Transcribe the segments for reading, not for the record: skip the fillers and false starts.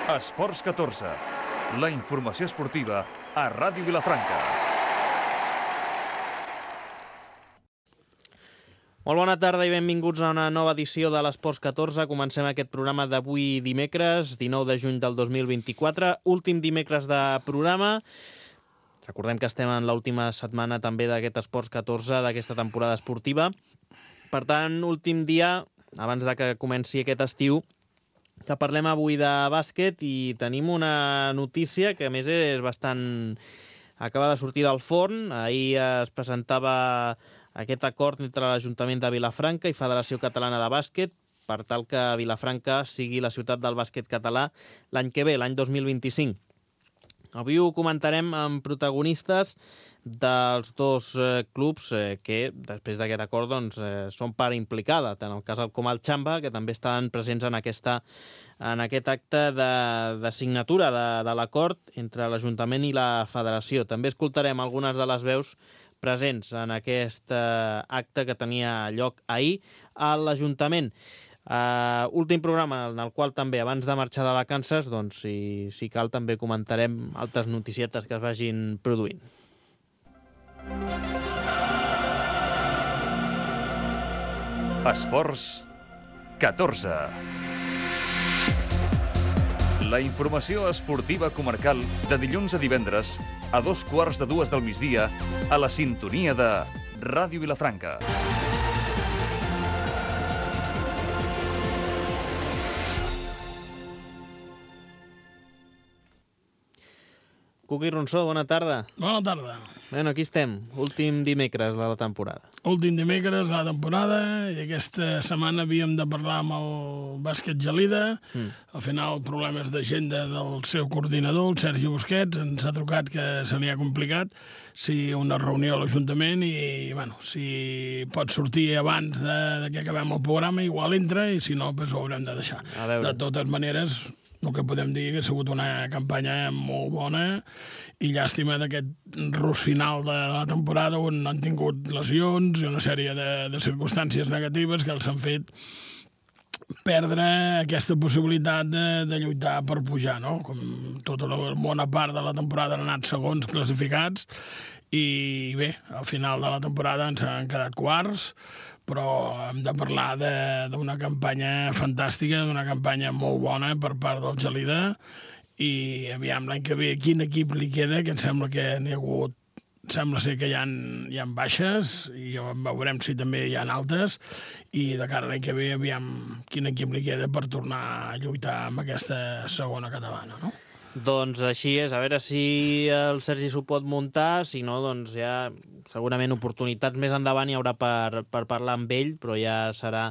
Esports 14, la informació esportiva a Ràdio Vilafranca. Molt bona tarda i benvinguts a una nova edició de l'Esports 14. Comencem aquest programa d'avui dimecres, 19 de juny del 2024, últim dimecres de programa. Recordem que estem en l'última setmana també d'aquest Esports 14, d'aquesta temporada esportiva. Per tant, últim dia, abans de que comenci aquest estiu, que parlem avui de bàsquet i tenim una notícia que a més és bastant... acaba de sortir del forn. Ahir es presentava aquest acord entre l'Ajuntament de Vilafranca i Federació Catalana de Bàsquet per tal que Vilafranca sigui la ciutat del bàsquet català l'any que ve, l'any 2025. Avui ho comentarem amb protagonistes dels dos clubs que, després d'aquest acord, són part implicada, tant el cas com el Xamba, que també estan presents en aquest acte de signatura de l'acord entre l'Ajuntament i la Federació. També escoltarem algunes de les veus presents en aquest acte que tenia lloc ahir a l'Ajuntament. Últim programa en el qual també, abans de marxar de vacances, doncs, si cal, també comentarem altres noticietes que es vagin produint. Esports 14. La informació esportiva comarcal de dilluns a divendres a 2:15 del migdia a la sintonia de Ràdio Vilafranca. Cuqui Ronsó, bona tarda. Bona tarda. Bueno, aquí estem, últim dimecres de la temporada. Últim dimecres de la temporada i aquesta setmana havíem de parlar amb el bàsquet Gelida. Al final, problemes d'agenda del seu coordinador, el Sergi Busquets, ens ha trucat que se li ha complicat una reunió a l'Ajuntament i, bueno, si pot sortir abans de que acabem el programa, igual entra i si no, doncs ho haurem de deixar. De totes maneres, el que podem dir que ha sigut una campanya molt bona i llàstima d'aquest rus final de la temporada on han tingut lesions i una sèrie de circumstàncies negatives que els han fet perdre aquesta possibilitat de lluitar per pujar, no? Com tota la bona part de la temporada han anat segons classificats i bé, al final de la temporada ens han quedat quarts, però hem de parlar d'una campanya fantàstica, d'una campanya molt bona per part del Gelida i aviam l'any que ve quin equip li queda, que em sembla que n'hi ha hagut, sembla ser que hi ha baixes i veurem si també hi ha altes i de cara a l'any que ve aviam quin equip li queda per tornar a lluitar amb aquesta segona catalana, no? Doncs així és, a veure si el Sergi s'ho pot muntar, si no, doncs ja segurament oportunitats més endavant hi haurà per parlar amb ell, però ja serà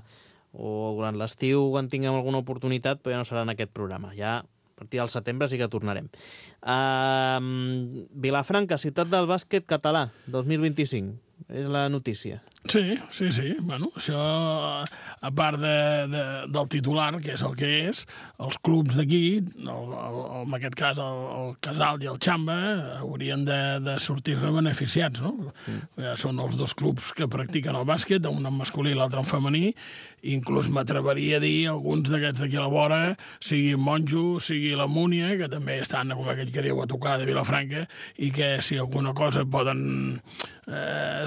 o durant l'estiu quan tinguem alguna oportunitat, però ja no serà en aquest programa, ja a partir del setembre sí que tornarem. Vilafranca, ciutat del bàsquet català, 2025, és la notícia. Sí. Bueno, això, a part del titular, que és el que és, els clubs d'aquí, en aquest cas el Casal i el Xamba, haurien de sortir-ne beneficiats, no? Són els dos clubs que practiquen el bàsquet, un en masculí i l'altre en femení, i inclús m'atreveria a dir alguns d'aquests d'aquí a la vora, sigui Monjo, sigui la Múnia, que també estan, com aquell que diu, a tocar de Vilafranca, i que si alguna cosa poden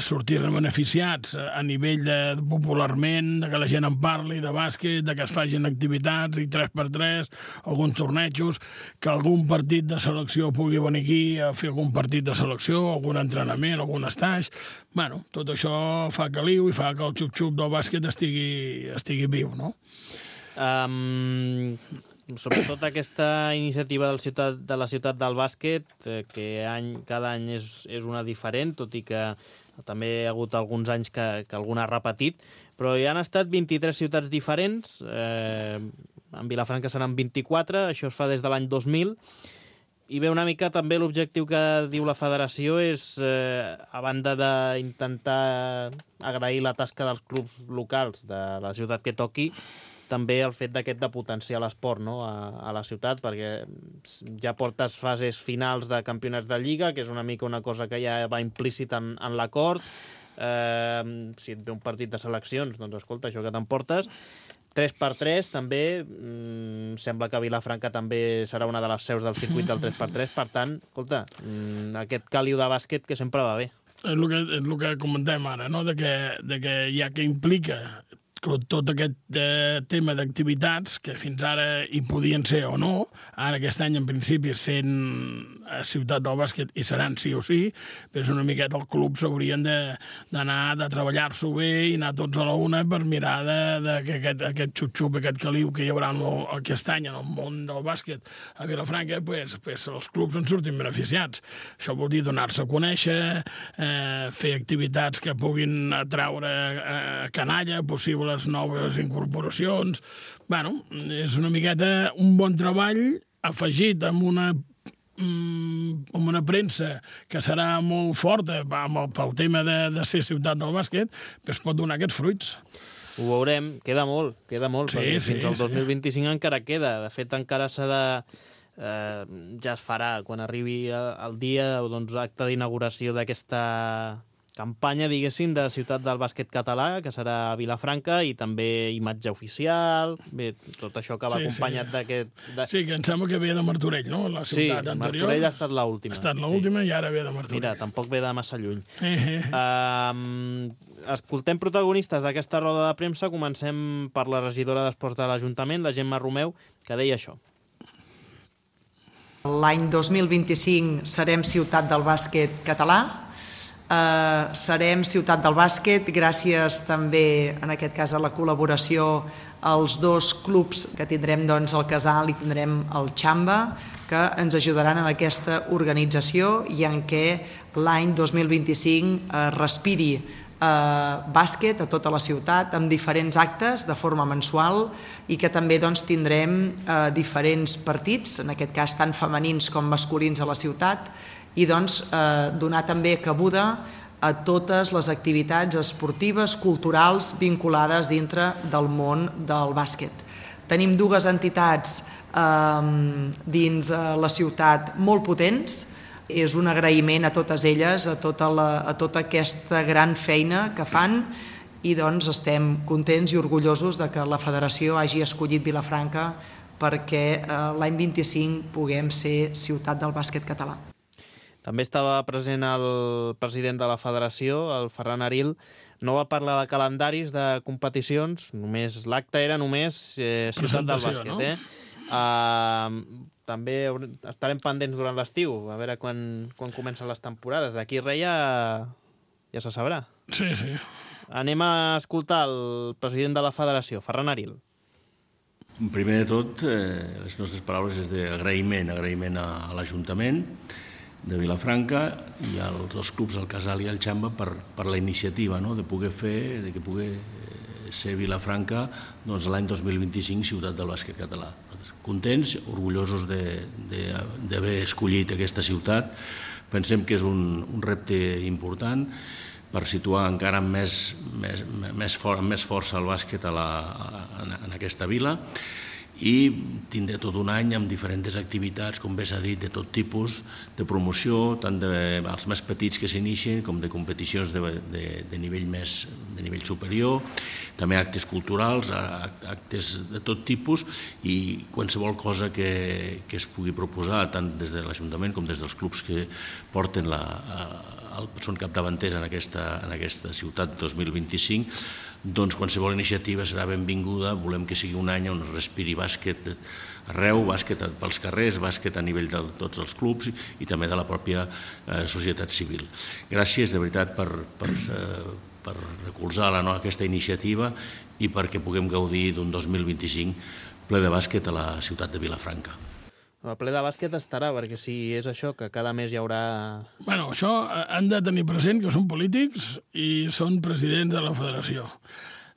sortir-ne beneficiats a nivell de popularment, de que la gent en parli de bàsquet, de que es facin activitats i 3x3, alguns tornejos, que algun partit de selecció pugui venir aquí a fer algun partit de selecció, algun entrenament, algun estatge. Bueno, tot això fa caliu i fa que el xup-xup del bàsquet estigui viu, no? Sobretot aquesta iniciativa de la ciutat del bàsquet, que cada any és una diferent, tot i que també hi ha hagut alguns anys que alguna ha repetit, però hi han estat 23 ciutats diferents, en Vilafranca seran 24, això es fa des de l'any 2000, i bé, una mica també l'objectiu que diu la federació és, a banda d'intentar agrair la tasca dels clubs locals de la ciutat que toqui, també el fet de potenciar l'esport, no?, a la ciutat, perquè ja portes fases finals de campionats de Lliga, que és una mica una cosa que ja va implícit en l'acord. Si et ve un partit de seleccions, doncs escolta, això que t'emportes. 3x3 també, sembla que Vilafranca també serà una de les seus del circuit del 3x3, per tant, escolta, aquest caliu de bàsquet que sempre va bé. És el que comentem ara, no? de que ja que implica tot aquest tema d'activitats que fins ara hi podien ser o no, ara aquest any en principi sent a Ciutat del Bàsquet i seran sí o sí, però és una miqueta el club s'haurien d'anar de treballar-s'ho bé i anar tots a la una per mirar que aquest xup-xup, aquest caliu que hi haurà aquest any en el món del bàsquet a Vilafranca, pues els clubs en surtin beneficiats. Això vol dir donar-se a conèixer, fer activitats que puguin atraure canalla, possibles noves incorporacions. Bueno, és una miqueta un bon treball afegit amb una premsa que serà molt forta pel tema de ser ciutat del bàsquet, però es pot donar aquests fruits. Ho veurem, queda molt, perquè fins al 2025 encara queda. De fet, encara s'ha de... ja es farà, quan arribi el dia, doncs, acte d'inauguració d'aquesta campanya, diguéssim, de Ciutat del Bàsquet Català, que serà a Vilafranca, i també imatge oficial, bé, tot això que va acompanyat d'aquest... Sí, que em sembla que ve de Martorell, no? La ciutat anterior. Martorell ha estat l'última. Ha estat l'última i ara ve de Martorell. Mira, tampoc ve de massa lluny. Escoltem protagonistes d'aquesta roda de premsa. Comencem per la regidora d'Esports de l'Ajuntament, la Gemma Romeu, que deia això. L'any 2025 serem Ciutat del Bàsquet Català. Serem Ciutat del Bàsquet gràcies també, en aquest cas, a la col·laboració als dos clubs que tindrem, doncs, el Casal i tindrem el Xamba, que ens ajudaran en aquesta organització i en què l'any 2025 respiri bàsquet a tota la ciutat amb diferents actes de forma mensual i que també, doncs, tindrem diferents partits, en aquest cas tant femenins com masculins a la ciutat, i doncs donar també cabuda a totes les activitats esportives, culturals, vinculades dintre del món del bàsquet. Tenim dues entitats dins la ciutat molt potents. És un agraïment a totes elles, a tota aquesta gran feina que fan, i doncs estem contents i orgullosos de que la federació hagi escollit Vilafranca perquè l'any 25 puguem ser Ciutat del Bàsquet Català. També estava present el president de la federació, el Ferran Aril. No va parlar de calendaris de competicions, només l'acte era només Ciutat del Bàsquet. També estarem pendents durant l'estiu, a veure quan comencen les temporades. D'aquí res ja se sabrà. Sí, sí. Anem a escoltar el president de la federació, Ferran Aril. Primer de tot, les nostres paraules és d'agraïment a l'Ajuntament de Vilafranca i als dos clubs, el Casal i el Xamba, per la iniciativa de poder fer, de que pugui ser Vilafranca l'any 2025 Ciutat del Bàsquet Català. Contents, orgullosos d'haver escollit aquesta ciutat. Pensem que és un repte important per situar encara amb més força el bàsquet en aquesta vila, i tindré tot un any amb diferents activitats, com bé s'ha dit, de tot tipus, de promoció, tant dels més petits que s'inicien com de competicions de nivell superior, també actes culturals, actes de tot tipus, i qualsevol cosa que es pugui proposar, tant des de l'Ajuntament com des dels clubs que porten són capdavanters en aquesta ciutat 2025, doncs qualsevol iniciativa serà benvinguda. Volem que sigui un any on es respiri bàsquet arreu, bàsquet pels carrers, bàsquet a nivell de tots els clubs i també de la pròpia societat civil. Gràcies, de veritat, per recolzar aquesta iniciativa i perquè puguem gaudir d'un 2025 ple de bàsquet a la ciutat de Vilafranca. El ple de bàsquet estarà, perquè si és això, que cada mes hi haurà... Bueno, això han de tenir present que són polítics i són presidents de la federació.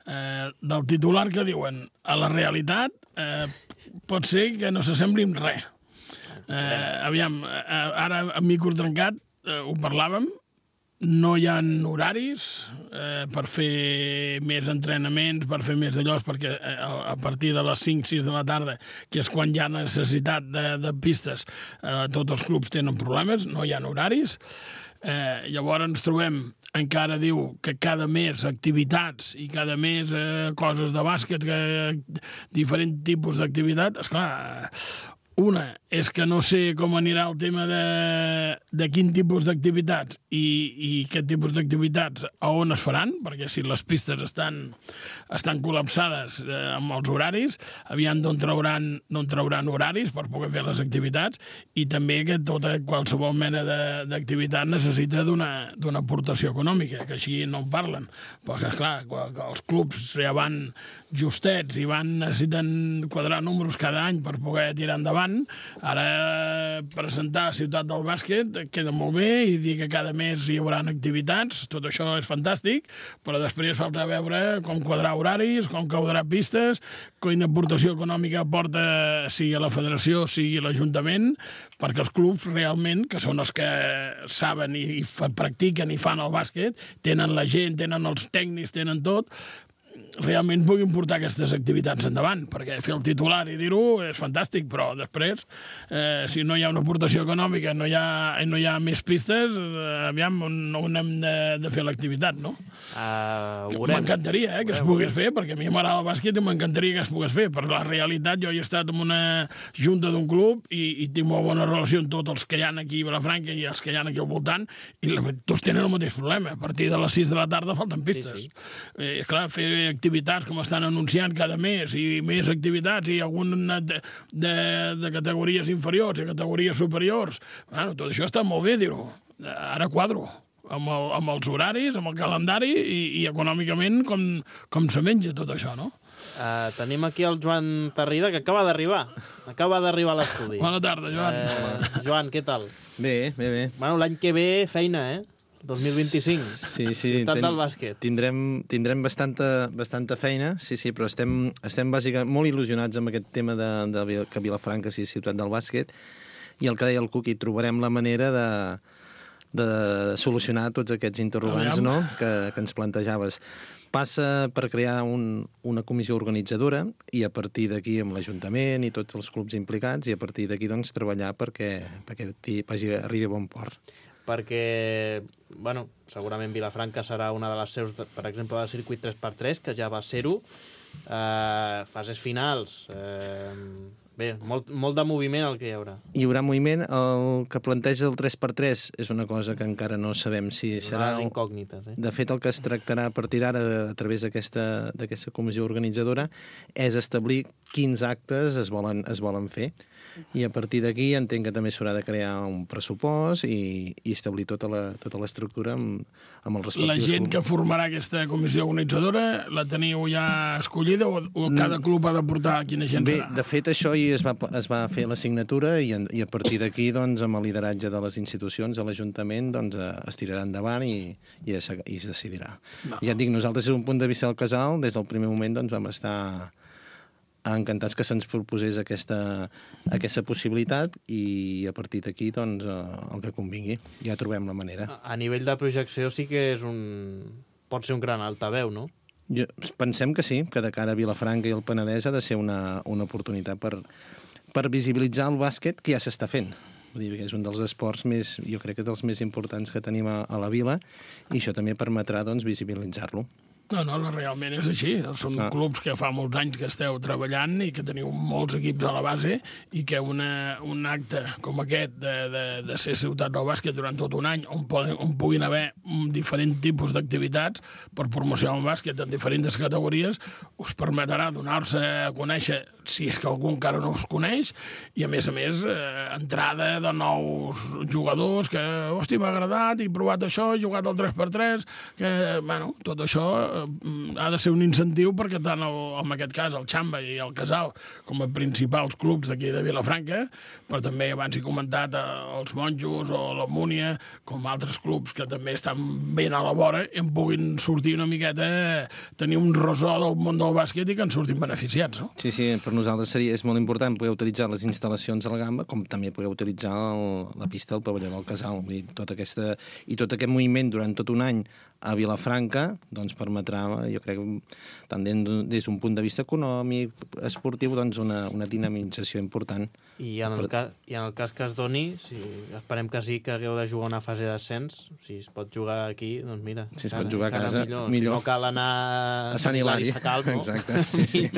Del titular que diuen a la realitat pot ser que no s'assembli amb res. Aviam, ara amb micro trencat ho parlàvem, no hi ha horaris per fer més entrenaments, per fer més d'allò, perquè a partir de les 5-6 de la tarda, que és quan hi ha necessitat de pistes, tots els clubs tenen problemes, no hi ha horaris. Llavors ens trobem encara diu que cada mes activitats i cada mes coses de bàsquet, diferents tipus d'activitat, esclar, una és que no sé com anirà el tema de quin tipus d'activitats i aquest tipus d'activitats a on es faran, perquè si les pistes estan col·lapsades amb els horaris, aviam d'on trauran horaris per poder fer les activitats, i també que qualsevol mena d'activitat necessita d'una aportació econòmica, que així no en parlen, perquè esclar, els clubs ja van justets i necessiten quadrar números cada any per poder tirar endavant. Ara presentar Ciutat del Bàsquet queda molt bé i dir que cada mes hi haurà activitats, tot això és fantàstic, però després falta veure com quadrar horaris, com quadrar pistes, quina aportació econòmica aporta sigui la federació, sigui l'Ajuntament, perquè els clubs realment, que són els que saben i practiquen i fan el bàsquet, tenen la gent, tenen els tècnics, tenen tot, realment puguin portar aquestes activitats endavant, perquè fer el titular i dir-ho és fantàstic, però després, si no hi ha una aportació econòmica, no hi ha més pistes, aviam on hem de fer l'activitat, no? M'encantaria que es pogués fer, perquè a mi m'agrada el bàsquet i m'encantaria que es pogués fer, però la realitat, jo he estat en una junta d'un club i tinc molt bona relació amb tots els que hi ha aquí a Vilafranca i els que hi ha aquí al voltant, i tots tenen el mateix problema. A partir de les 6 de la tarda falten pistes. Clar, fer activitats com estan anunciant cada mes i més activitats i alguna de categories inferiors i categories superiors, bueno, tot això està molt bé, dir-ho. Ara quadro amb els horaris, amb el calendari i econòmicament com se menja tot això, no? Tenim aquí el Joan Tarrida, que acaba d'arribar a l'estudi. Bona tarda, Joan. Joan, què tal? Bé. Bueno, l'any que ve feina, 2025. Sí. Ciutat del bàsquet. Tindrem bastanta feina, sí, però estem bàsicament molt il·lusionats amb aquest tema que Vilafranca sigui ciutat del bàsquet, i el que deia el Cuqui, trobarem la manera de solucionar tots aquests interrogants, no?, que ens plantejaves. Passa per crear una comissió organitzadora i a partir d'aquí amb l'Ajuntament i tots els clubs implicats, i a partir d'aquí doncs treballar perquè arribi a bon port. Perquè, bueno, segurament Vilafranca serà una de les seus, per exemple, del circuit 3x3, que ja va ser-ho, fases finals, bé, molt de moviment el que hi haurà. Hi haurà moviment. El que planteja el 3x3 és una cosa que encara no sabem si serà... Les incògnites, De fet, el que es tractarà a partir d'ara, a través d'aquesta comissió organitzadora, és establir quins actes es volen fer. I a partir d'aquí entenc que també s'haurà de crear un pressupost i establir tota l'estructura amb els respectius... La gent que formarà aquesta comissió organitzadora la teniu ja escollida o cada club ha de portar quina gent serà? Bé, de fet, això es va fer la signatura i a partir d'aquí, doncs, amb el lideratge de les institucions, de l'Ajuntament, doncs, es tirarà endavant i es decidirà. No. Ja et dic, nosaltres, des d'un punt de vista del casal, des del primer moment, doncs, vam estar encantats que se'ns proposés aquesta possibilitat i a partir d'aquí, doncs, el que convingui. Ja trobem la manera. A nivell de projecció sí que pot ser un gran altaveu, no? Pensem que sí, que de cara a Vilafranca i el Penedès ha de ser una oportunitat per visibilitzar el bàsquet que ja s'està fent. Vull dir que és un dels esports jo crec que dels més importants que tenim a la vila, i això també permetrà, doncs, visibilitzar-lo. No, realment és així. Són clubs que fa molts anys que esteu treballant i que teniu molts equips a la base i que un acte com aquest de ser ciutat del bàsquet durant tot un any on puguin haver diferents tipus d'activitats per promocionar el bàsquet en diferents categories us permetrà donar-se a conèixer, si és que algú encara no us coneix, i a més, entrada de nous jugadors que, hosti, m'ha agradat, he provat això, he jugat al 3x3, que, bueno, tot això ha de ser un incentiu perquè tant, en aquest cas, el Xamba i el Casal, com a principals clubs d'aquí de Vilafranca, però també abans he comentat els Monjos o la Múnia, com altres clubs que també estan ben a la vora, en puguin sortir una miqueta, tenir un ressò del món del bàsquet i que en surtin beneficiats, no? Sí, per nosaltres és molt important poder utilitzar les instal·lacions a la Gamba, com també poder utilitzar la pista del pavelló del Casal. Tot aquest moviment durant tot un any a Vilafranca doncs permetrà, jo crec, tant des d'un punt de vista econòmic, esportiu, doncs una dinamització important. I en el cas que es doni, esperem que sí, que hagueu de jugar una fase d'ascens, si es pot jugar aquí, doncs mira, si es pot jugar a casa, millor. Si no cal anar a Sant Hilari Sacalm, no? Exacte, sí.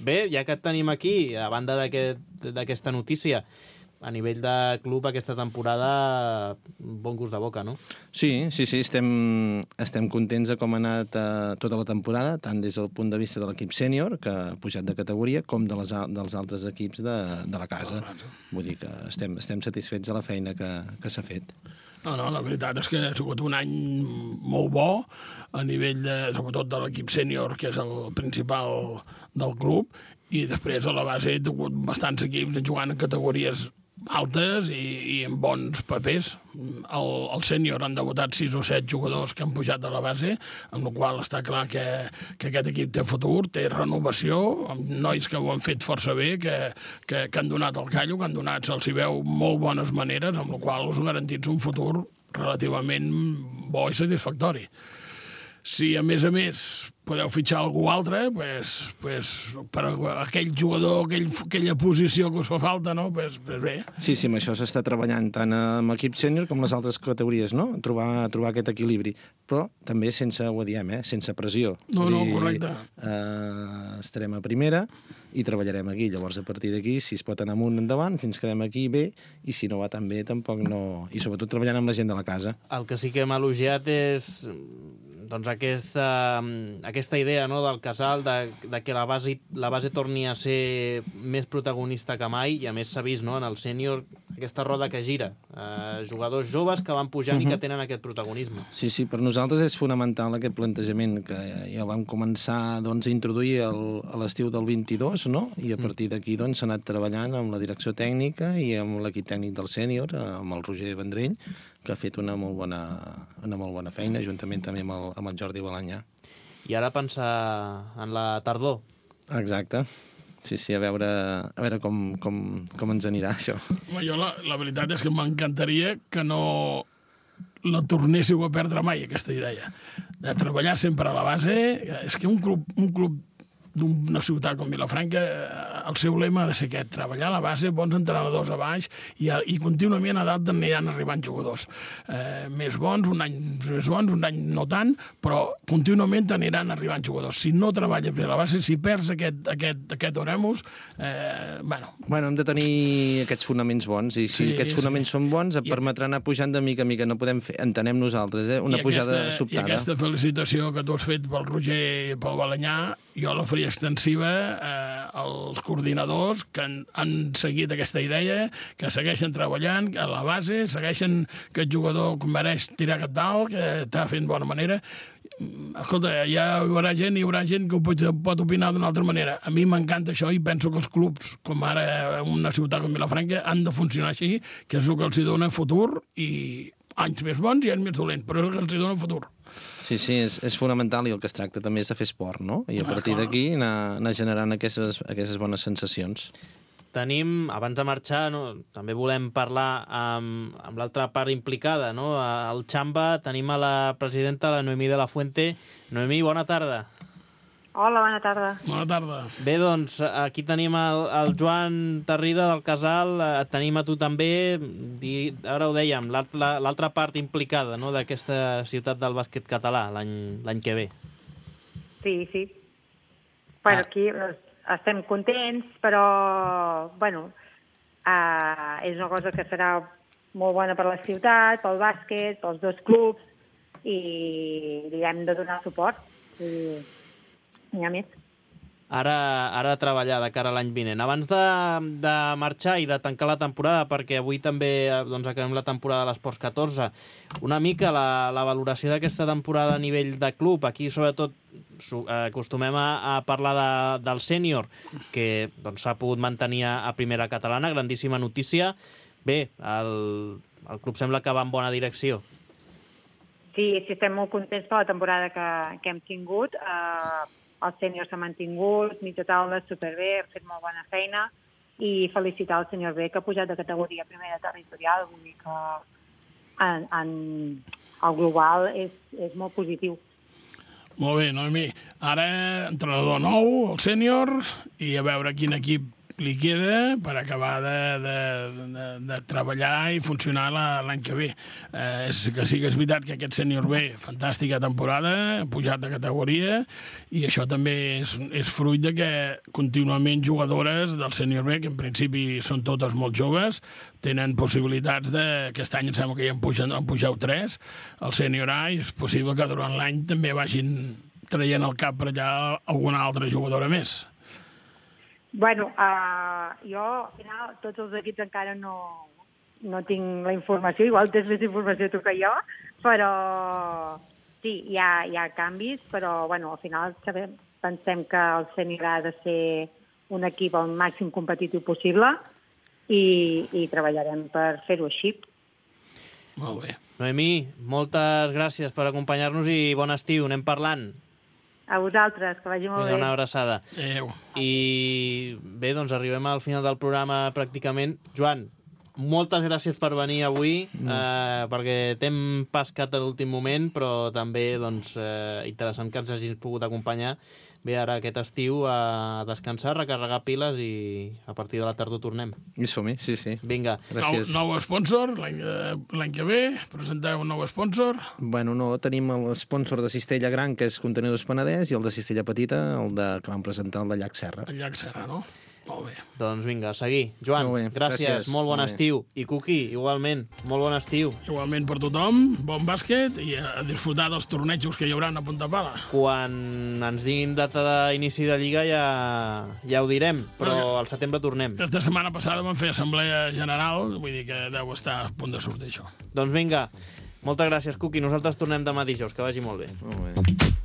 Bé, ja que et tenim aquí, a banda d'aquesta notícia, a nivell de club aquesta temporada, bon gust de boca, no? Sí, estem contents de com ha anat tota la temporada, tant des del punt de vista de l'equip sènior, que ha pujat de categoria, com dels altres equips de la casa. Vull dir que estem satisfets de la feina que s'ha fet. No, la veritat és que ha sigut un any molt bo a nivell, sobretot de l'equip sènior, que és el principal del club, i després a la base he tingut bastants equips jugant en categories altes i amb bons papers. El sènior han debutat 6 o 7 jugadors que han pujat de la base, amb la qual està clar que aquest equip té futur, té renovació, amb nois que ho han fet força bé, que han donat el callo, que han donat, se'ls hi veu molt bones maneres, amb la qual us garantits un futur relativament bo i satisfactori. Si, a més, podeu fitxar algú altre, pues, per aquell jugador, aquella posició que us fa falta, no? Pues bé. Sí, amb això s'està treballant tant amb l'equip sènior com les altres categories, no? Trobar aquest equilibri. Però també sense, ho diem, sense pressió. No, correcte. Estarem a primera i treballarem aquí. Llavors, a partir d'aquí, si es pot anar amunt endavant, si ens quedem aquí, bé, i si no va tan bé, tampoc no. I sobretot treballant amb la gent de la casa. El que sí que hem elogiat és doncs aquesta idea, no, del Casal, de que la base torni a ser més protagonista que mai, i a més s'ha vist, no, en el sènior aquesta roda que gira. Jugadors joves que van pujant i que tenen aquest protagonisme. Sí, per nosaltres és fonamental aquest plantejament que ja vam començar doncs, a introduir a l'estiu del 22, no? I a partir d'aquí doncs, s'ha anat treballant amb la direcció tècnica i amb l'equip tècnic del sènior, amb el Roger Vendrell, que ha fet una molt bona feina, juntament també amb el Jordi Balanyà. I ara pensar en la tardor. Exacte. Sí, a veure com ens anirà, això. Jo la veritat és que m'encantaria que no la tornéssiu a perdre mai, aquesta idea. De treballar sempre a la base. És que un club d'una ciutat com Vilafranca, el seu lema ha de ser aquest, treballar a la base, bons entrenadors a baix, i contínuament a dalt aniran arribant jugadors. Més bons, un any més bons, un any no tant, però contínuament aniran arribant jugadors. Si no treballes bé a la base, si perds aquest oremus, Bueno, hem de tenir aquests fonaments bons, i si aquests fonaments són bons, et permetrà anar pujant de mica a mica. No podem fer, entenem nosaltres, una pujada sobtada. I aquesta felicitació que tu has fet pel Roger i pel Balanyà, jo la faria extensiva als coordinadors que han seguit aquesta idea, que segueixen treballant a la base, segueixen que el jugador mereix tirar cap dalt, que està fent bona manera. Escolta, hi haurà gent que ho pot opinar d'una altra manera. A mi m'encanta això i penso que els clubs, com ara una ciutat com Vilafranca, han de funcionar així, que és el que els dona futur, i anys més bons i anys més dolents, però és el que els dona futur. Sí, és fonamental, i el que es tracta també és de fer esport, no? I a partir d'aquí anar generant aquestes bones sensacions. Tenim, abans de marxar, també volem parlar amb l'altra part implicada, no? Al Xamba tenim a la presidenta, la Noemí de la Fuente. Noemí, bona tarda. Hola, bona tarda. Bona tarda. Bé, doncs, aquí tenim el Joan Tarrida del Casal, tenim a tu també, ara ho dèiem, l'altra part implicada, no?, d'aquesta ciutat del bàsquet català l'any que ve. Sí. Bueno, aquí estem contents, però, és una cosa que serà molt bona per la ciutat, pel bàsquet, pels dos clubs, i li hem de donar suport. N'hi ha més. Ara a treballar de cara a l'any vinent. Abans de marxar i de tancar la temporada, perquè avui també acabem la temporada de l'Esports 14, una mica la valoració d'aquesta temporada a nivell de club. Aquí, sobretot, acostumem a parlar del sènior, que s'ha pogut mantenir a primera catalana, grandíssima notícia. Bé, el club sembla que va en bona direcció. Sí, estem molt contents per la temporada que hem tingut. El sènior s'ha mantingut, mitja taula, superbé, ha fet molt bona feina, i felicitar el senyor B, que ha pujat de categoria primera territorial. Vull dir el global és molt positiu. Molt bé, Noemi. Ara, entrenador nou, el sènior, i a veure quin equip li queda per acabar de treballar i funcionar l'any que ve. Que sí que és veritat que aquest sènior B, fantàstica temporada, pujat de categoria, i això també és fruit de que contínuament jugadores del sènior B, que en principi són totes molt joves, tenen possibilitats aquest any em sembla que ja en pugeu 3 al sènior A, i és possible que durant l'any també vagin traient al cap per allà alguna altra jugadora més. Bueno, jo, al final, tots els equips encara no tinc la informació, igual tens més informació tu que jo, però sí, hi ha canvis, però bueno, al final pensem que el sènior ha de ser un equip al màxim competitiu possible i treballarem per fer-ho així. Molt bé. Noemí, moltes gràcies per acompanyar-nos i bon estiu, anem parlant. A vosaltres, que vagi molt bé. Una abraçada. Adéu. I bé, doncs arribem al final del programa pràcticament. Joan, moltes gràcies per venir avui, perquè t'hem pescat a l'últim moment, però també doncs, interessant que ens hagis pogut acompanyar. Bé, ara aquest estiu a descansar, recarregar piles i a partir de la tardor tornem. I som-hi, sí. Vinga. Gràcies. Nou sponsor, l'any que ve, presenteu un nou sponsor. Bueno, no, tenim l'esponsor de Cistella Gran, que és Contenidors Penedès, i el de Cistella Petita, que vam presentar, el de Llac Serra. El Llac Serra, no? Molt bé. Doncs vinga, a seguir. Joan, Molt bé, gràcies, molt bon estiu. I Cuqui, igualment, molt bon estiu. Igualment per tothom, bon bàsquet i a disfrutar dels tornejos que hi haurà a Punta Pala. Quan ens diguin data d'inici de Lliga ja ho direm, però al setembre tornem. Aquesta setmana passada vam fer assemblea general, vull dir que deu estar a punt de sortir això. Doncs vinga, moltes gràcies, Cuqui. Nosaltres tornem demà dijous, que vagi molt bé. Molt bé.